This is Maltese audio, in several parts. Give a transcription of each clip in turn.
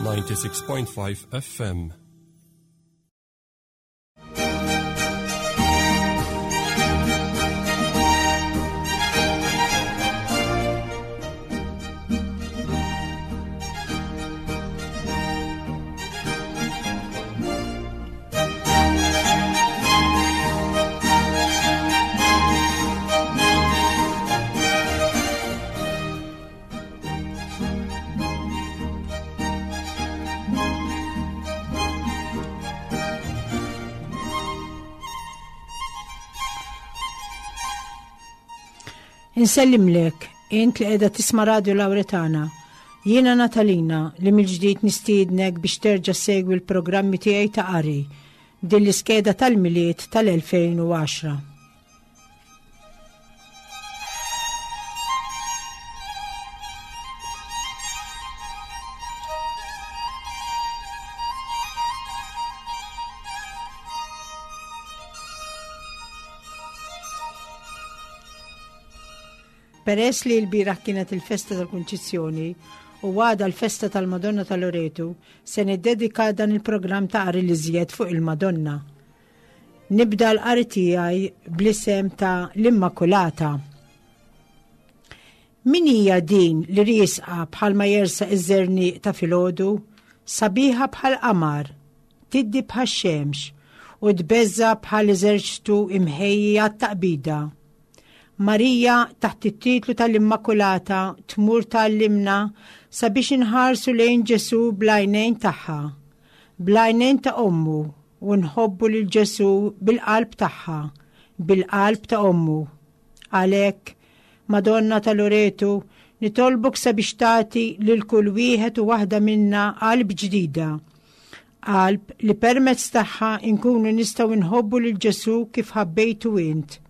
96.5 FM. Insellimlek, int li qiegħda tisma' Radio Lauretana. Jiena Natalina li mill-ġdid nistiednek biex terġa' segwi l-programmi tiegħi ta' qari din l-iskeda tal-Milied tal-2010. Peress li l-bieraħ kienet il-festa tal-Kunċizzjoni u għada l-festa tal-Madonna tal-Loretu, se niddedika dan il-programm ta' qari li żjed fuq il-Madonna. Nibda l-qari tiegħi bl-isem ta' l-Immakulata. Min hija din li riesqa bħalma jersaq iż-żerniq ta' filgħodu, sabiħa bħal qamar, tiddi bħax-xemx u tbeżża' bħal eżerċtu imħejji għat-taqbida? Marija taħt it-titlu tal-Immakulata tmur tgħallimna sabiex inħarsu lejn Ġesù bl-għajnejn tagħha, bl-għajnejn ta' ommu u nħobbu lil Ġesù bil-qalb tagħha, bil-qalb ta' ommu. Għalhekk, Madonna ta' Loretu, nitolbok sabiex tagħti lil kull wieħed u waħda minna qalb ġdida. Qalb li permezz tagħha nkunu nistgħu nħobbu lil Ġesù kif ħabbejtu int.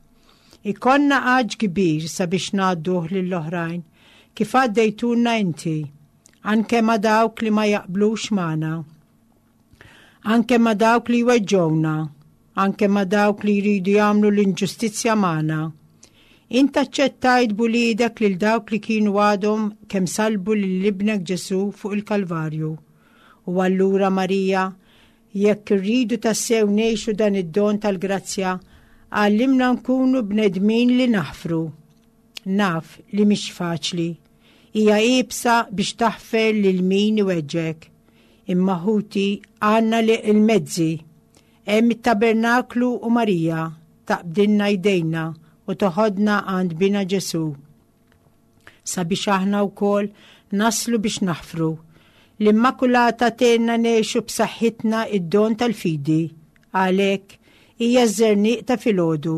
Ikollna għatx kbir sabiex ngħadduh lill-oħrajn, kif għaddejtulna inti, anke ma' dawk li ma jaqblux magħna, anke ma' dawk li jweġġgħuna, anke ma' dawk li jridu jagħmlu l-inġustizzja magħna. Int aċċettajt b'uliedek lil dawk li kienu għadhom kemm salbu lil ibnek Ġesù fuq il-Kalvarju. U allura Marija, Jekk irridu tassew ngħixu dan id-don tal-grazzja, għallimna nkunu bnedmin li naħfru. Naf li mhix faċli. Hija iebsa biex taħfer lil min iweġġek. Imma ħuti għandna li l-mezzi. Hemm it-tabernaklu u Marija taqbdilna jdejna u toħodna għand bina Ġesù. sabiex aħna wkoll naslu biex naħfru. L-Immakulata tgħinna ngħixu b'saħħitna id-don tal-fidi. Għalhekk hija ż-żerniq ta' filgħodu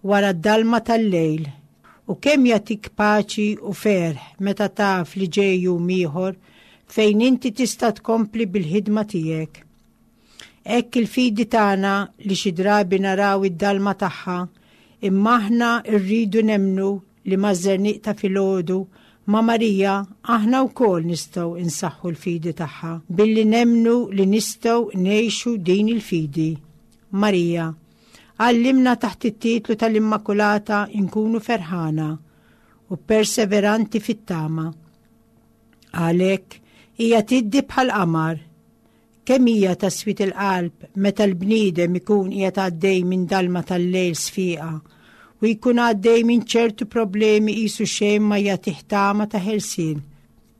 wara d-dalma tal-lejl. U kemm jagħtik paċi u ferħ meta taf li ġej jum ieħor fejn inti tista' tkompli bil-ħidma tiegħek. Hekk il-fidi tagħna li xi drabi naraw id-dalma tagħha, imma aħna rridu nemmnu li maż-żerniq ta' filgħodu ma' Marija aħna wkoll nistgħu nsaħħu l-fidi tagħha billi nemmnu li nistgħu ngħixu din il-fidi. Marija, għallimna taħt it-titlu tal-Immakulata nkunu ferħana u perseveranti fit-tama. Għalhekk hija tiddi bħal qamar Kemm hija ta' swied il-qalb meta l-bniedem ikun qiegħed għaddej minn dalma tal-lejl sfiqa u jkun għaddej minn ċertu problemi qisu xejn ma jagħtih tama ta' ħelsien,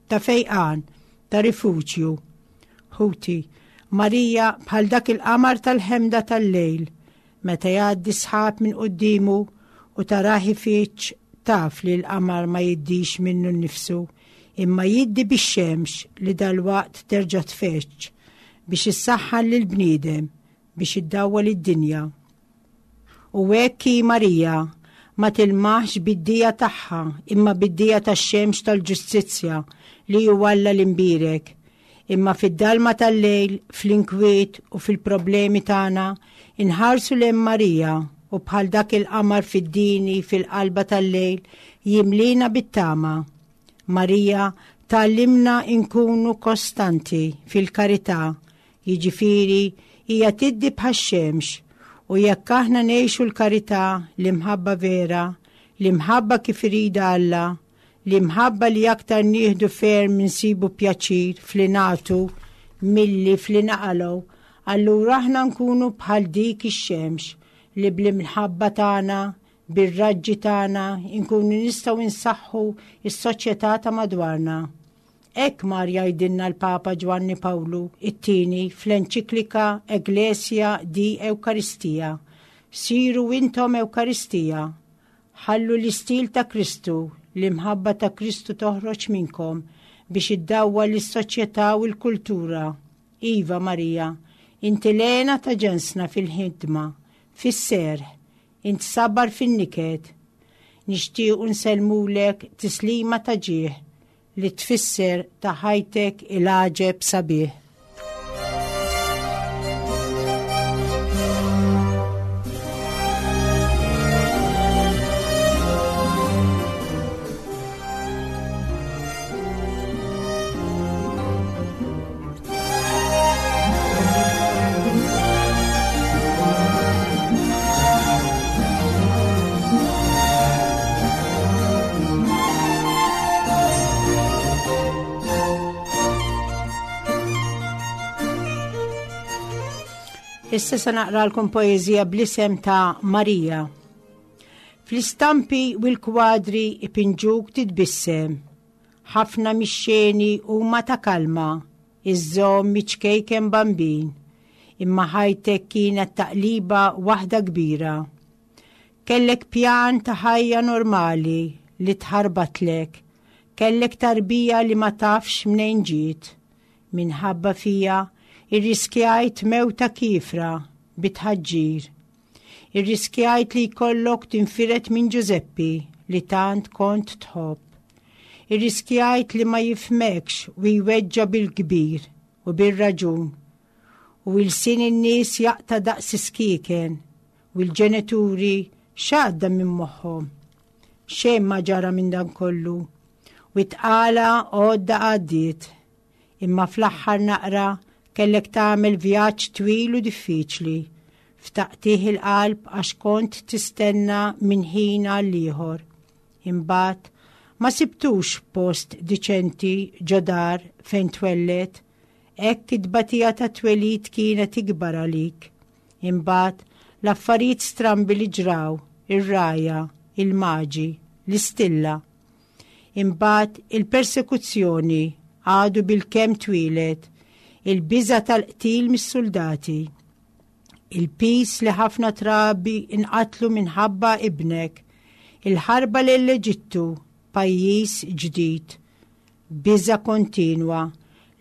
ta' fejqan, ta' rifuġju. Ħuti, Marija bħal dak il-qamar tal-ħemda tal-lejl, meta jgħaddi sħab minn quddiemu u tarah ifiġġ taf li l-qamar ma jiddix minnu nnifsu, imma jiddi bix-xemx li dalwaqt terġa' tfeġġ biex issaħħan lill-bniedem, biex iddawwal id-dinja. U hekk hi Marija, ma tilmaħx bid-dija tagħha imma bid-dija tax-xemx tal-ġustizzja li hu Alla l-Imbierek. Imma fid-dalma tal-lejl, fl-inkwiet u fil-problemi tagħna, inħarsu lejn Marija u bħal dak il-qamar fid-dini fil-qalba tal-lejl jimlina bit-tama. Marija tgħallimna nkunu kostanti fil-karità, jiġifieri hija tiddi bħax-xemx u jekk aħna ngħixu l-karità, l-imħabba vera, l-imħabba kif iridha Alla, L-imħabba li aktar nieħdu ferm insibu pjaċir fli nagħtu milli fli naqalgħu, allura aħna nkunu bħal dik ix-xemx li bl-imħabba tagħna, bir-raġġi tagħna nkunu nistgħu nsaħħu s-soċjetà ta' madwarna. Hekk mar jgħidilna l-Papa Ġwanni Pawlu it-Tieni fl-Enċiklika Ecclesia di Eucharistia, Siru intom Ewkaristija, Ħallu l-istil ta' Kristu, l-imħabba ta' Kristu toħroġ minnkom biex iddawwal lis-soċjetà u l-kultura. Iva, Marija, inti l-hena ta' ġensna fil-ħidma, fis-serħ, int sabar fin-niket. Nixtiequ nsellmulek tislima ta' ġieħ li tfisser ta' ħajtek il-għaġeb sabiħ. Issa se naqralkom poeżija bl-isem ta' Marija. Fl-istampi u l-kwadri ipinġuk titbissem. Ħafna mix-xeni huma ta' kalma, iżżomm iċ-ċkejken bambin. Imma ħajtek kienet taqliba waħda kbira. Kellek pjan ta' ħajja normali li tħarbatlek. Kellek tarbija li ma tafx mnejn ġiet. Minħabba fija, irriskjajt mewta kiefra bi tħaġġir. Irriskjajt li jkollok tinfired minn Ġużeppi li tant kont tħobb. Irriskjajt li ma jifhmekx u jweġġa' bil-kbir u bir-raġun. U ilsien in-nies jaqta' daqs is-skieken u l-ġenituri x'għadda minn moħħhom? Xejn ma ġara minn dan kollu. U t-tqala għodda għaddiet. Imma fl-aħħar naqra kellek tagħmel vjaġġ twil u diffiċli, f'taqtigħ il-qalb għax kont tistenna minn ħin għal ieħor. Imbagħad ma sibtux post diċenti ġo dar fejn twelled, hekk it-tbatija tat-twelid kienet ikbar għalik. Imbagħad l-affarijiet strambi li ġraw, ir-rgħajja, il-maġi, l-istilla. Imbagħad il-persekuzzjoni għadu bilkemm twieled, il-biża' tal-qtil mis-suldati. Il-piż li ħafna trabi nqatlu minħabba ibnek, il-ħarba lejn l-Eġittu, pajjiż ġdid. Biża' kontinwa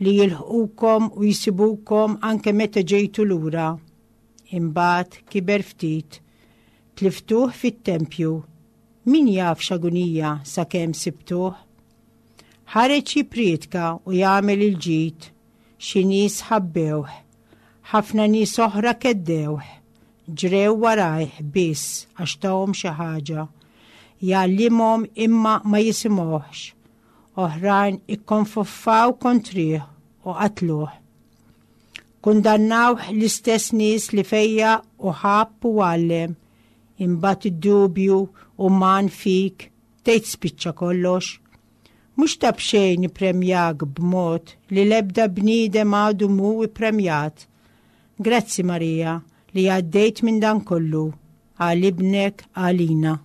li jilħqukom u jsibukom anke meta ġejtu lura. Imbagħad kiber ftit. Tliftuh fit-tempju. Min jaf x'agunija sakemm sibtuh. Ħareġ jipprietka u jagħmel il-ġid. Xi nies ħabbewh. Ħafna nies oħra keddewh. Ġrew warajh biss għax tahom xi ħaġa. Jgħallimhom imma ma jisimgħuhx. Oħrajn ikkonfoffaw kontrih u qatluh. Kundannawh l-istess nies li fejjaq u ħabb u għallem. Imbagħad id-dubju uman fik tgħid spiċċa kollox. Mhux ta' b'xejn ippremjak b'mod li l-ebda bniedem għadu mhu ippremjat. Grazzi Marija li għaddejt minn dan kollu għal ibnek għalina.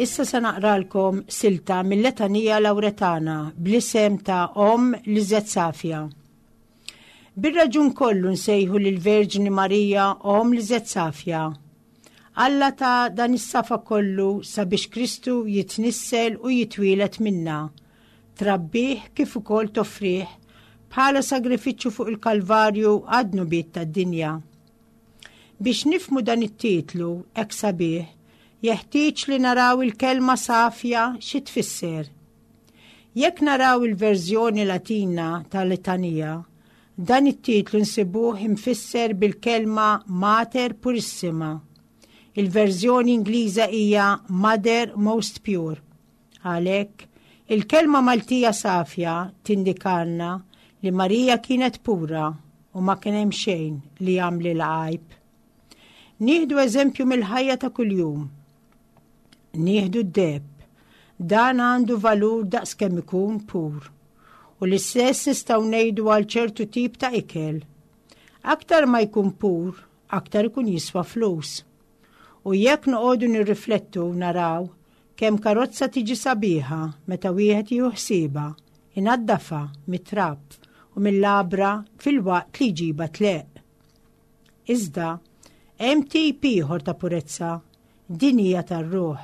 Issa se naqralkom silta mill-Letanija Lawretana bl-isem ta' Omm Liżet Safja. Bir-raġun kollu nsejħu lill-Verġni Marija Omm Liżet Safja. Alla ta dan is-safa kollu sabiex Kristu jitnissel u jitwieled minna, trabbih kif ukoll toffrih bħala sagrifiċċju fuq il-Kalvarju għad-dnubiet tad-dinja. Biex nifhmu dan it-titlu hekk sabiħ, jeħtieġ li naraw il-kelma safja xi tfisser. Jekk naraw il-verżjoni Latina tal-Litanija, dan it-titlu nsibuh imfisser bil-kelma Mater Purissima. Il-verżjoni Ingliża hija Mother Most Pure. Għalhekk, il-kelma Maltija safja tindikalna li Marija kienet pura u ma kien hemm xejn li jagħmlilha għajb. Nieħdu eżempju mill-ħajja ta' kuljum. Nieħdu d-deheb. Dan għandu valur daqs kemm ikun pur. U l-istess nistgħu ngħidu għal ċertu tip ta' ikel. Aktar ma jkun pur, aktar ikun jiswa flus. U jekk noqogħdu nirriflettu naraw kemm karozza tiġi sabiħa meta wieħed jieħu ħsiebha, inaddafha mit-trab u mill-għabra filwaqt li jġibha tleqq. Iżda, hemm tip ieħor ta' purezza, din hija tar-ruħ.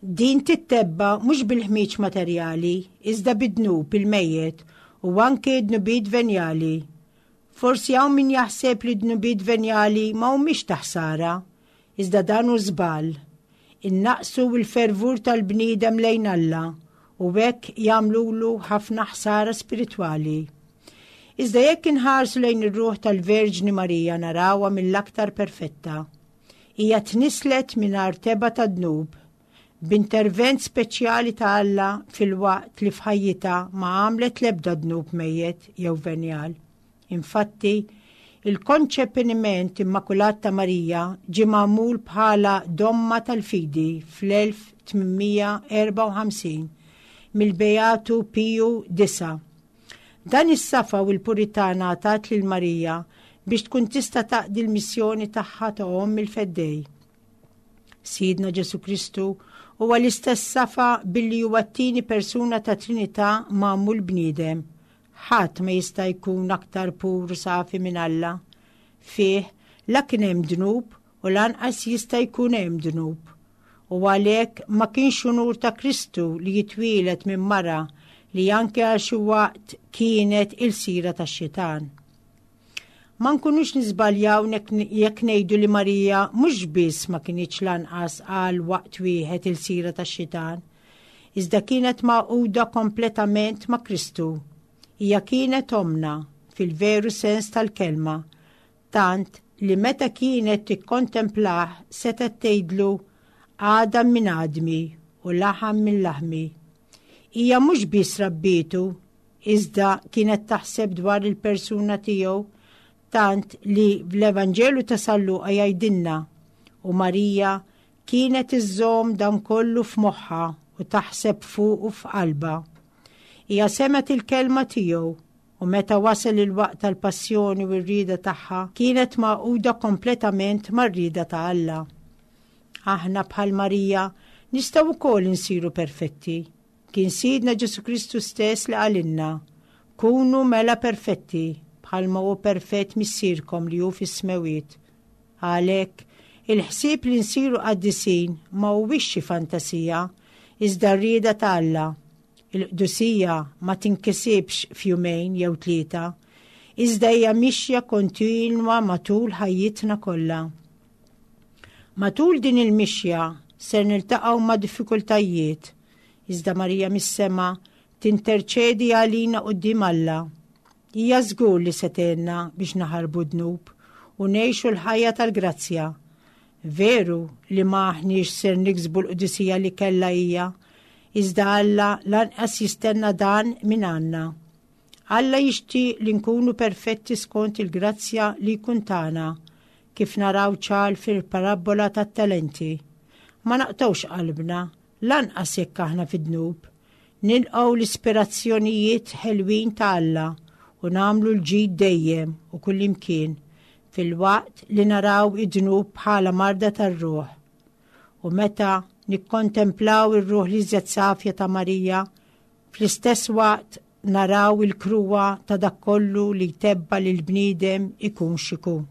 Din tittebba' mhux bil-ħmieġ materjali, iżda bid-dnub il-mejjet u anke d-dnubiet venjali. Forsi hawn min jaħseb li d-dnubiet venjali ma humiex ta' ħsara, iżda dan hu żball. Innaqqsu l-fervur tal-bniedem lejn Alla u hekk jagħmlulu ħafna ħsara spiritwali. Iżda jekk inħarsu lejn ir-ruħ tal-Verġni Marija narawha mill-aktar perfetta. Hija tnisslet mingħajr tebgħa ta' dnub, b'intervent speċjali ta' Alla filwaqt li f'ħajjitha ma għamlet l-ebda dnub mejjet jew venjal. Infatti, il-konċepiment immakulat ta' Marija ġie magħmul bħala domma tal-fidi fl-1854 mill-Beatu Piju Disa'. Dan is-safa u l-purità ngħatat lil Marija biex tkun tista' taqdi l-missjoni tagħha ta' Omm il-Feddej. Sidna Ġesù Kristu huwa l-istess safa billi huwa t-tieni persuna ta' Trinità magħmul bniedem. Ħadd ma jista' jkun aktar pur u safi minn Alla. Fih la kien hemm dnub u lanqas jista' jkun hemm dnub. U għalhekk ma kienx unur ta' Kristu li jitwieled minn mara li anke għal xi waqt kienet ilsira tax-xitan. Ma nkunux niżbaljaw jekk ngħidu li Marija mhux biss ma kinitx lanqas għal waqt wieħed ilsira tax-xitan, iżda kienet magħquda kompletament ma' Kristu. Hija kienet ommna fil-veru sens tal-kelma, tant li meta kienet tikkontemplah setgħet tgħidlu għadam minn għadmi u laħam minn laħmi. Hija mhux biss rabbietu, iżda kienet taħseb dwar il-persuna tiegħu tant li fl-Evanġelu ta' San Luqa jgħidilna u Marija kienet iżżomm dan kollu f'moħħha u taħseb fuqu f'qalbha. Hija semgħet il-kelma tiegħu u meta wasal il-waqt tal-passjoni u r-rieda tagħha kienet magħquda kompletament mar-rieda ta' Alla. Aħna bħal Marija nistgħu wkoll insiru perfetti. Kien Sidna Ġesù Kristu stess li qalilna, Kunu mela perfetti, bħalma hu perfett Missierkom li hu fis-smewwiet. Għalhekk, il-ħsieb li nsiru qaddisin ma huwiex xi fantasija, iżda r-rieda ta' Alla. Il-qdusija ma tinkisibx f'jumejn jew tlieta, iżda hija mixja kontinwa matul ħajjitna kollha. Matul din il-mixja ser niltaqgħu ma' diffikultajiet, iżda Marija mis-sema tinterċedi għalina quddiem Alla. Hija żgur li se tgħinna biex naħarbu d-dnub u ngħixu l-ħajja tal-grazzja. Veru li ma aħniex ser niksbu l-qdusija li kellha hija, iżda Alla lanqas jistenna dan minn għandna. Alla jixtieq li nkunu perfetti skont il-grazzja li jkun tana, kif naraw ċar fil-parabbola tat-talenti. Ma naqtgħux qalbna, lanqas jekk aħna fid-dnub. Nilqgħu l-ispirazzjonijiet ħelwin ta' Alla u nagħmlu l-ġid dejjem u kullimkien, filwaqt li naraw id-dnub bħala marda tar-ruħ. U meta nikkontemplaw ir-ruħ l-iżjed safja ta' Marija, fl-istess waqt naraw il-kruha ta' dak kollu li jtebba' lill-bniedem ikun x'ikun.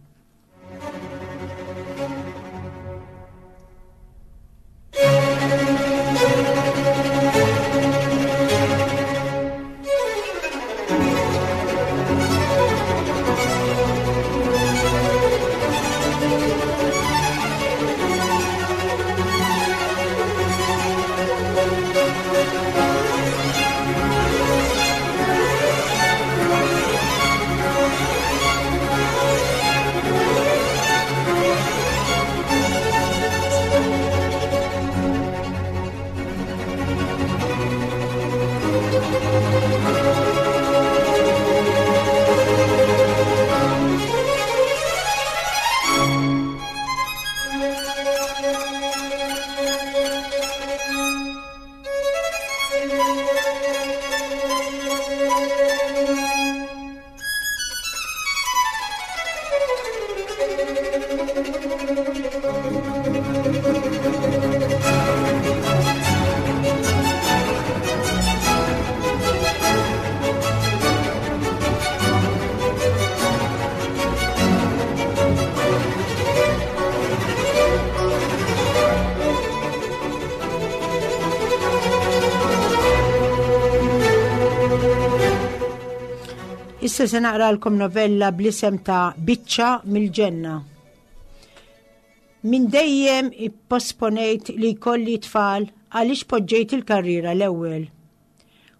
Issa se naqralkom novella bl-isem ta' Biċċa mill-Ġenna. Minn dejjem ipposponejt li jkolli tfal għaliex poġġejt il-karriera l-ewwel.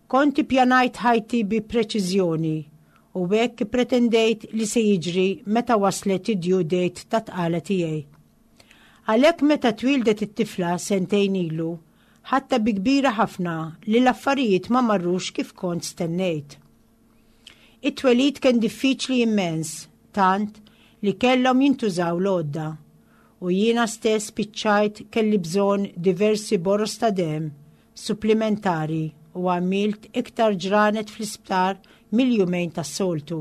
Kont ippjanajt ħajti bi preċiżjoni u hekk ippretendejt li se jiġri meta waslet id-due date tat-tqala tiegħi. Għalhekk meta twieldet it-tifla sentejn ilu, ħadtha bi kbira ħafna li l-affarijiet ma marrux kif kont stennejt. It-twelid kien diffiċli immens, tant li kellhom jintużaw l-għodda u jiena stess spiċċajt kelli bżonn diversi boroż ta' demm supplimentari u għamilt iktar ġranet fl-isptar mill-jumejn tas-soltu.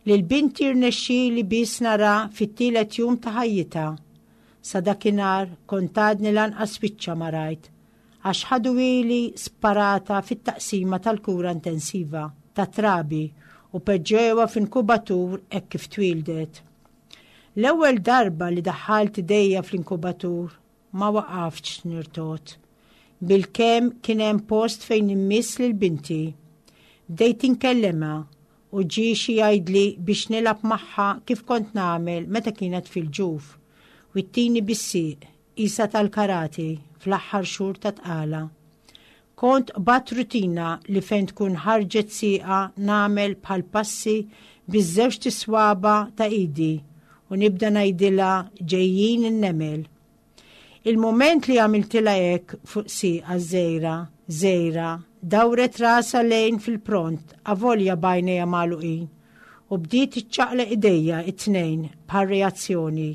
Lil binti rnexxieli biss nara fit-tielet jum ta' ħajjitha. Sa dakinhar kont għadni lanqas wiċċha ma rajt, għax ħaduhieli sparata fit-taqsima tal-kura intensiva tat-trabi u peġġewha f'inkubatur hekk kif twieldet. L-ewwel darba li daħħalt idejja fl-inkubatur Ma waqaftx nirtogħod. Bilkemm kien hemm post fejn immiss lil binti. Bdejt inkellimha u ġie xi jgħidli biex nilgħab magħha kif kont nagħmel meta kienet fil-ġuf u ttini bis-sieq, qisha tal-karate, fl-aħħar xhur ta' tqala. Kont qbadt rutina li fejn tkun ħarġet sieqha nagħmel bħal passi biż-żewġt iswaba' ta' idi u nibda ngħidilha ġejjin in-nemel. Il-mument li għamiltilha hekk fuq sieqha żgħira, żgħira, dawret rasha lejn fil-pront avolja b'għajnejha magħluqin u bdiet iċċaqlaq idejja t-tnejn bħal reazzjoni.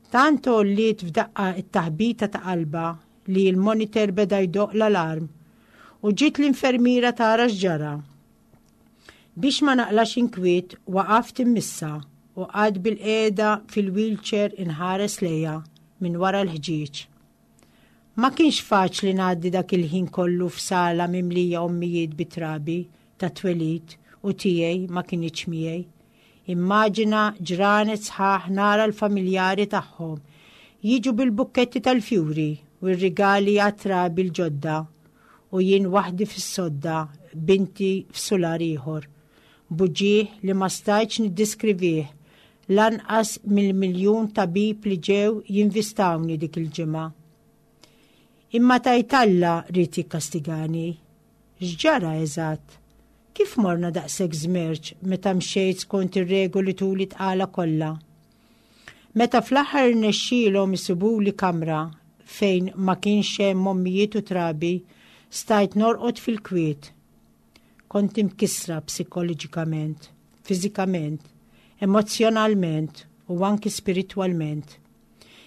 Tant għolliet f'daqqa t-taħbita ta' qalbha li l-monitor beda jdoqq l-alarm u ġiet l-infermiera tara x'ġara. Biex ma naqlax inkwiet waqaft immissha u qgħadt bilqiegħda fil-wheelchair inħares lejha minn wara l-ħġieġ. Ma kienx faċli ngħaddi dak il-ħin kollu f'sala mimlija ommijiet bi trabi ta' twelid u tiegħi ma kinitx miegħi. Immaġina ġranet sħaħ nara l-familjari tagħhom jiġu bil-bukketti tal-fjuri u r-rigali għat-trabi l-ġodda u jien waħdi fis-sodda b'binti f'sular ieħor. B'uġigħ li ma stajtx niddiskrivih lanqas mill-miljun tabib li ġew jinvistawni dik il-ġimgħa. Imma tgħid Alla ried jikkastigani? X'ġara eżatt? Kif morna daqshekk żmerċ meta mxejt skont ir-regoli tul it-tqala kollha? Meta fl-aħħar irnexxielhom isibuli kamra fejn ma kienx hemm ommijiet u trabi, stajt norqod fil-kwiet. Kont imkissra psikoloġikament, fiżikament, emozzjonalment u anki spiritwalment.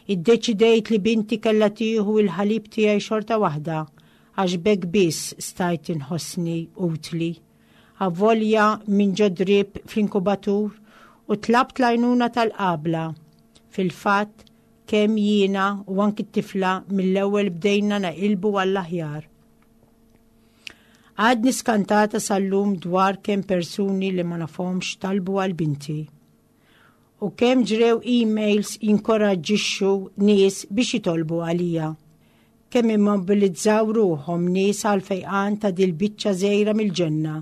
Iddeċidejt li binti kellha tieħu l-ħalib tiegħi xorta waħda għax b'hekk biss stajt inħossni utli. Avolja minn ġo drip fl-inkubatur u tlabt l-għajnuna tal-qabla. Fil-fatt, kemm jiena u anki t-tifla mill-ewwel bdejna naqilbu għall-aħjar. Għadni skantata sal-lum dwar kemm persuni li ma nafhomx talbu għal binti. U kemm ġrew emails jinkoraġġixxu nies biex jitolbu għalija. Kemm immobilizzaw ruħhom nies għal fejqan ta' dil-biċċa żgħira mill-ġenna,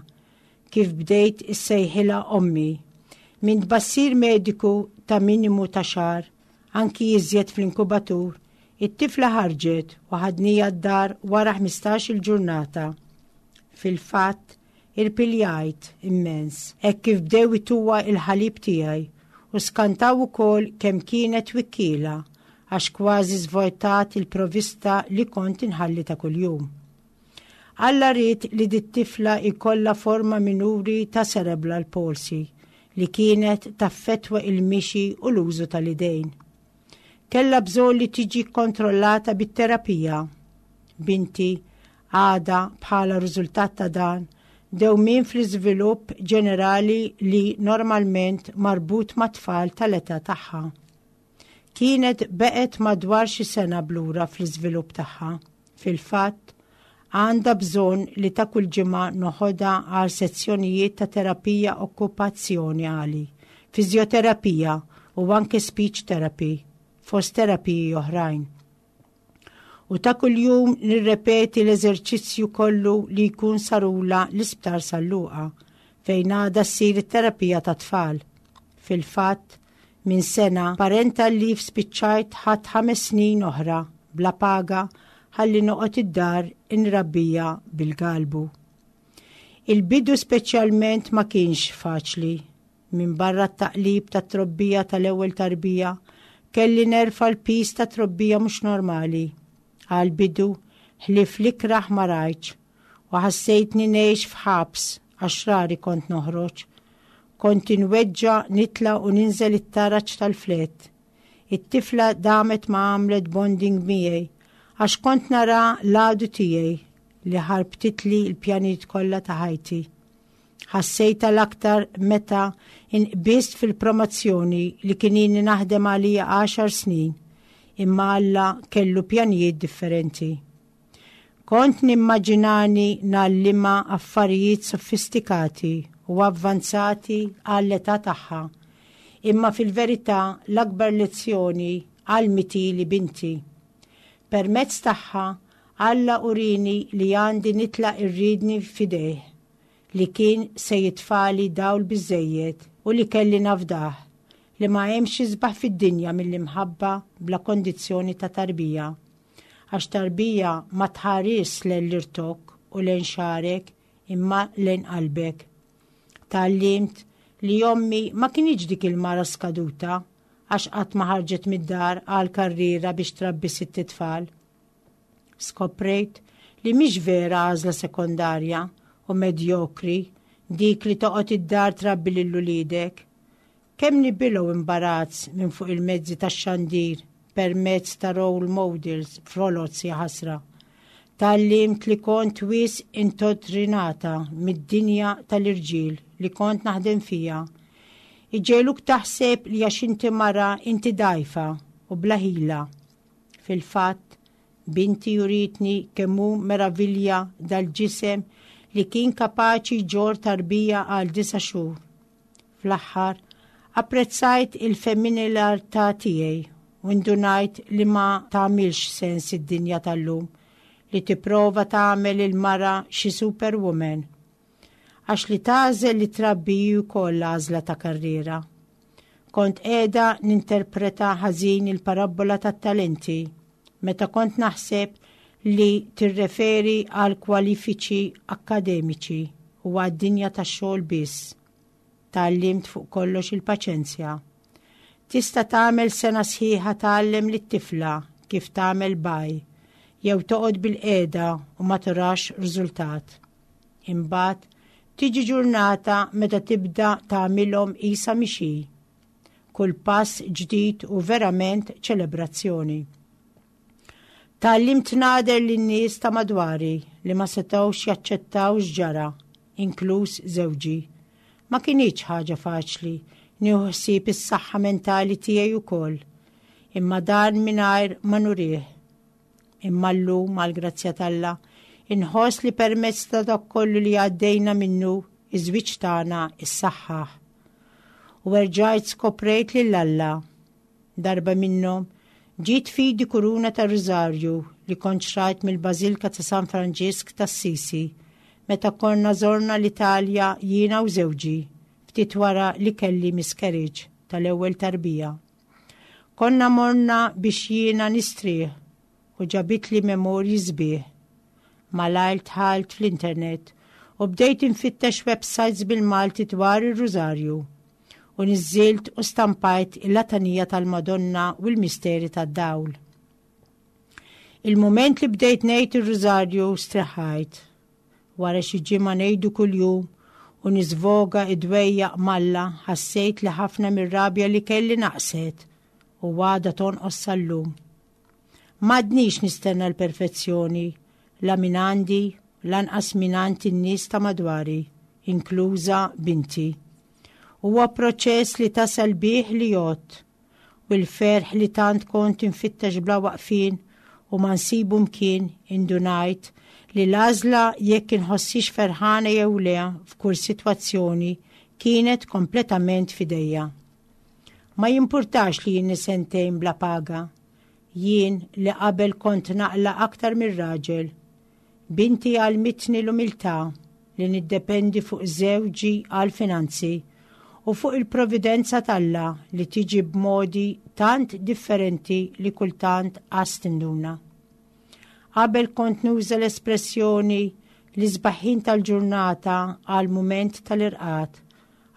kif bdejt issejħilha ommi. Minn tbassir mediku ta' minimu ta' xahar, anki iżjed fl-inkubatur, it-tifla ħarġet u ħadnija d-dar wara 15-il ġurnata. Fil-fatt, Irpiljajt immens hekk kif bdew ituha l-ħalib tiegħi u skantaw ukoll kemm kienet wikkiela għax kważi żvojtat il-provista li kont inħalli ta' kuljum. Alla ried li dit-tifla jkollha forma minuri ta' cerebral palsy li kienet taffettwa il-mixi u l-użu tal-idejn. Kellha bżonn li tiġi kkontrollata bit-terapija. Binti għadha bħala riżultat ta' dan dewmien fl-iżvilupp ġenerali li normalment marbut mat-tfal tal-età tagħha. Kienet beqgħet madwar xi sena b'lura fl-iżvilupp tagħha. Fil-fatt, għandha bżonn li ta' kull ġimgħa noħodha għal sezzjonijiet ta' terapija okkupazzjonali, fiżjoterapija u anke speech therapy, fost terapiji oħrajn. U ta' kuljum nirrepeti l-eżerċizzju kollu li jkun sarula l-Isptar San Luqa, fejn għadha ssir it-terapija tat-tfal. Fil-fatt, minn sena parental leave spiċċajt ħadt ħames snin oħra bla paga ħalli noqgħod id-dar inrabbija bil-galbu. Il-bidu speċjalment ma kienx faċli. Minbarra t-taqlib tat-trobbija tal-ewwel tarbija, kelli nerfa' l-piż ta' trobbija mhux normali. Għall-bidu, ħlief l-ikrah ma rajtx, u ħassejtni ngħix f'ħabs għax rari kont noħroġ. Kont inweġġa' nitla' u ninżel it-taraġ tal-flett. It-tifla damet ma għamlet bonding miegħi għax kont nara l-għadu tiegħi li ħarbtitli l-pjanijiet kollha ta' ħajti. Ħassejtha l-aktar meta inqbist fil-promozzjoni li kien ilni naħdem għalija għaxar snin, imma Alla kellu pjanijiet differenti. Kont nimmaġinani ngħallimha affarijiet sofistikati u avvanzati għall-età tagħha, imma fil-verità l-akbar lezzjoni għallmitili binti. Permezz tagħha, Alla urieni li għandi nitlaq ir-riedni f'idejh, li kien se jitfagħli dawl biżżejjed u li kelli nafdah, li ma hemmx isbaħ fid-dinja mill-imħabba bla kondizzjoni ta' tarbija. Għax tarbija ma tħarisx lejn l-irtokk u lejn xagħrek imma lejn qalbek. Tgħallimt li ommi ma kinitx dik il-mara skaduta għax qatt ma ħarġet mid-dar għal karriera biex trabbi sitt itfal. Skoprejt li mhix vera għażla sekondarja u medjokri dik li toqgħod id-dar trabbi lil uliedek. Kemm nibilgħu imbarazz minn fuq il-mezzi tax-xandir permezz ta' role models foloz jaħasra. Tgħallimt li kont wisq intottrinata mid-dinja tal-irġiel li kont naħdem fiha. Iġegħluk taħseb li għax inti mara inti dgħajfa u bla ħila. Fil-fatt, binti urietni kemm hu meravilja dal-ġisem li kien kapaċi jġorr tarbija għal disa' xhur. Fl-aħħar, apprezzajt il-femminilità tiegħi u ndunajt li ma tagħmilx sens id-dinja tal-lum li tipprova tagħmel il-mara xi superwoman. Għax li tagħżel li trabbi hi wkoll għażla ta' karriera. Kont qiegħda ninterpreta ħażin il-parabbola tat-talenti meta kont naħseb li tirreferi għal kwalifiċi akkademiċi u għad-dinja tax-xogħol biss. Tgħallimt fuq kollox il-paċenzja. Tista' tagħmel sena sħiħa tgħallem lit-tifla kif tagħmel baj, jew toqgħod bilqiegħda u ma turax riżultat. Imbagħad tiġi ġurnata meta tibda tagħmilhom qisha mhix hi. Kull pass ġdid hu verament ċelebrazzjoni. Tgħallimt nagħder lin-nies ta' madwari li ma setgħux jaċċettaw x'ġara, inkluż żewġi. Ma kinitx ħaġa faċli nieħu ħsieb is-saħħa mentali tiegħi wkoll, imma dan mingħajr ma nurih. Imma llum, għall-grazzja t'Alla, inħoss li permezz ta' dak kollu li għaddejna minnu, iż-żwieġ tagħna ssaħħaħ. U erġajt skoprejt lil Alla. Darba minnhom, ġiet f'idi kuruna tar-Rużarju li kont xrajt mill-Bażilka ta' San Franġisk t'Assisi meta konna żorna l-Italja jiena u żewġi ftit wara li kelli miscarriage tal-ewwel tarbija. Konna morna biex jiena nistrieħ u ġabitli memorji sbieħ. Malajr dħalt fl-internet u bdejt infittex websites bil-Malti dwar ir-Rużarju u niżżilt u stampajt il-Latanija tal-Madonna u l-Misteri tad-Dawl. Il-mument li bdejt ngħid ir-Rużarju streħajt. Wara xi ġimgħa ngħidu kuljum u niżvoga id-dwejjaq m'Alla ħassejt li ħafna mir-rabja li kelli naqset u għadha tonqos sal-lum. M'għadnix nistenna l-perfezzjoni la minn għandi lanqas mingħand in-nies ta' madwari, inkluża binti. Huwa proċess li tasal bih li jgħodd u l-ferħ li tant kont infittex bla waqfien u ma nsibu mkien indunajt li l-għażla jekk inħossix ferħana jew le f'kull sitwazzjoni kienet kompletament f'idejja. Ma jimpurtax li jien sentejn bla paga. Jien li qabel kont naqla aktar mir-raġel. Binti għallmitni l-umiltà, li niddependi fuq żewġi għall-finanzi u fuq il-providenza t'Alla li tiġi b'modi tant differenti li kultant qas tinduna. Qabel kont nuża l-espressjoni l-isbaħ ħin tal-ġurnata għal mument tal-irqad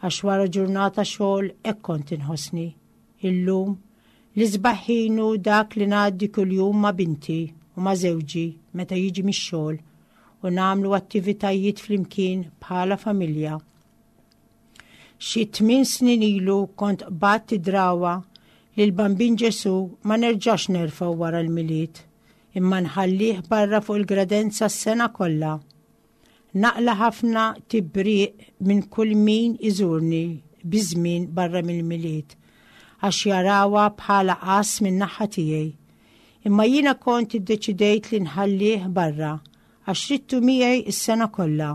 għax wara ġurnata xogħol hekk kont inħossni. Illum, l-isbaħ ħin hu dak li ngħaddi kuljum ma' binti u ma' żewġi meta jiġi mix-xogħol u nagħmlu attivitajiet flimkien bħala familja. Xi tmin snin ilu kont qbadt id-drawa li l-Bambin Ġesu ma nerġax nerfgħu wara l-Milied, imma nħallih barra fuq il-gradenza s-sena kollha. Naqla' ħafna tibriq minn kull min iżurni biż-żmien barra mill-Milied, għax jarawha bħala qass min-naħa tiegħi. Imma jiena kont iddeċidejt li nħallih barra għax ridtu miegħi s-sena kollha.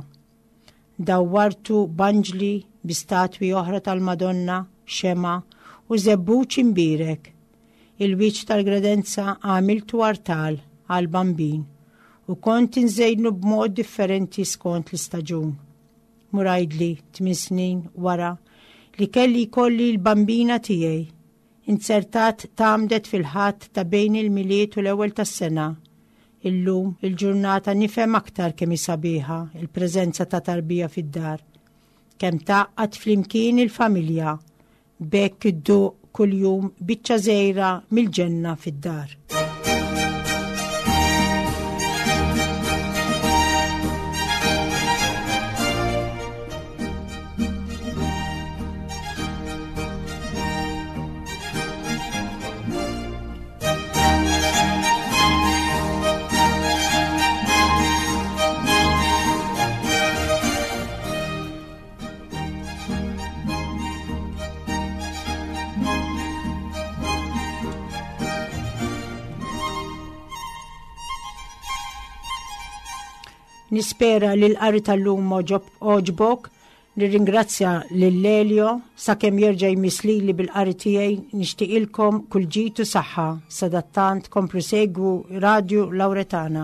Dawwartu b'anġli, bi statwi oħra tal-Madonna, xemgħa, u żebbuġ imbierek. Il-wiċċ tal-gredenza għamiltu artal għall-Bambin u kont inżejnu b'mod differenti skont l-istaġun. Mur għidli, tmin snin wara, li kelli jkolli l-Bambina tiegħi. Inzertat tgħammdet fil-Ħadd ta' bejn il-Milied u l-Ewwel tas-Sena. Illum il-ġurnata nifhem aktar kemm hi sabiħa l-preżenza ta' tarbija fid-dar. Kemm tgħaqqad flimkien il-familja. B'hekk idduq kuljum biċċa żgħira mill-ġenna fid-dar. Nispera li l-qari tal-lum oġbok, nirringrazzja lil Lelio sakemm jerġa' jmiss lili bil-qari tiegħi nixtieqilkom kull ġid u saħħa sadattant komplu segwu Radju Lauretana.